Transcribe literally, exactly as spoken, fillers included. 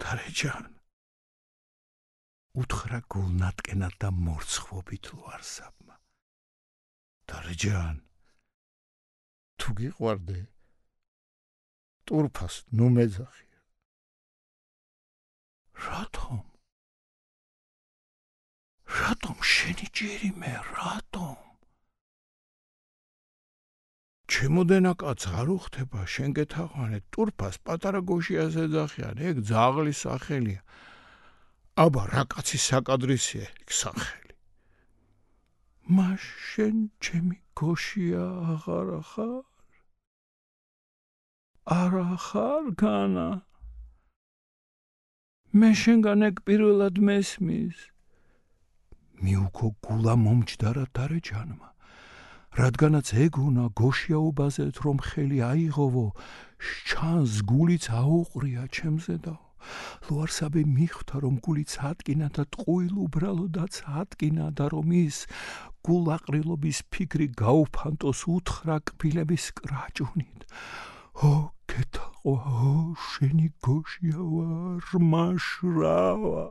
დარეჯან უთხრა გულნატკენად და მორცხვობით ლუარსაბმა. დარეჯან თუ გიყვარდე ტურფას ნუ მეძახია. რატომ? რატომ შენი ჯერიმე, რატომ? ჩემოდენა კაც არ უხდება, შენ გეთაყვანე, ტურფას პატარა გოშიას ეძახიან, ეგ ძაღლის სახელია. აბა რა კაცი საკადრისია ეგ სახელი. მას შენ ჩემი გოშია აღარ ხარ? არა ხარ განა? მე შენგან ეგ პირველად მესმის. მიუქო გულა მომჯდარა დარეჯანმა. რადგანაც ეგონა გოშიაობაზეთ რომ ხელი აიღოვო, შჩანს გულიც აუყრია ჩემზედაო. ლუარსაბე მიხვდა რომ გულიც ატკინა და ტყუილ უბრალოდაც ატკინა და რომ ის გულაყრილობის ფიქრი გაუფანტოს უთხრა კბილების კრაჭუნით. ო გეთაყვა, ო შენი გოშია ვარ, მაშრავა.